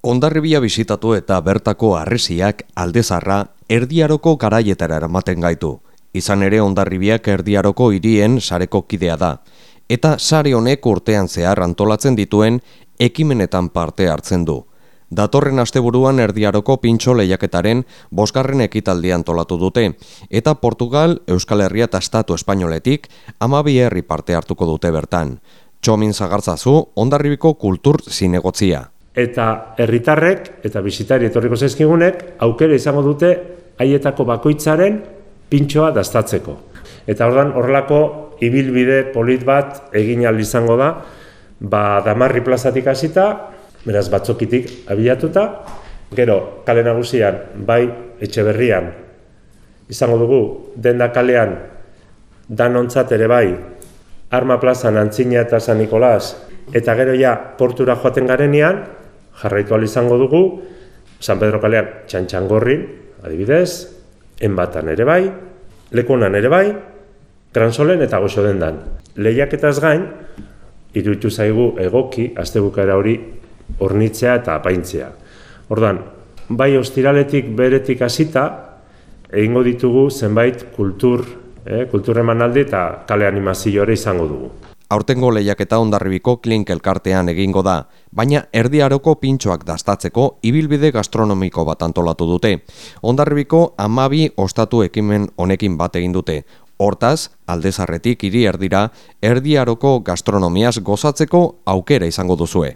Hondarribia bisitatu eta bertako harresiak Aldezarra Erdi Aroko garaietara eramaten gaitu. Izan ere Hondarribiak Erdi Aroko hirien sareko kidea da. Eta sare honek urtean zehar antolatzen dituen ekimenetan parte hartzen du. Datorren asteburuan Erdi Aroko pintxo lehiaketaren 5. ekitaldia antolatu dute. Eta Portugal, Euskal Herria eta Estatu Espainoletik 12 herri parte hartuko dute bertan. Txomin Zagartzazu, Hondarribiko kultur zinegotzia. Eta herritarrek eta bisitari etorriko zaizkigunek aukera izango dute haietako bakoitzaren pintxoa dastatzeko. Eta ordan horrelako ibilbide polit bat egin ahal izango da, Damarri plazatik hasita, beraz Batzokitik abiatuta, gero kale nagusian, bai Etxeberrian izango dugu denda kalean danontzat ere bai, Arma plazan Antzina eta San Nikolas, eta gero ja portura joaten garenean, jarraitu ahal izango dugu, San Pedro kalean Txantxangorrin, adibidez, Enbatan ere bai, Lekunan ere bai, Gransolen eta Goxodendan. Lehiaketaz gain, iruditu zaigu egoki astebukaera hori hornitzea eta apaintzea. Ordan, bai ostiraletik beretik hasita, egingo ditugu zenbait kultur emanaldi eta kale animazio ere izango dugu. Aurtengo lehiaketa Hondarribiko Klink elkartean egingo da, baina Erdi Aroko pintxoak dastatzeko ibilbide gastronomiko bat antolatu dute. Hondarribiko 12 ostatu ekimen honekin bat egin dute. Hortaz, Aldezarretik hiri erdira, Erdi Aroko gastronomiaz gozatzeko aukera izango duzue.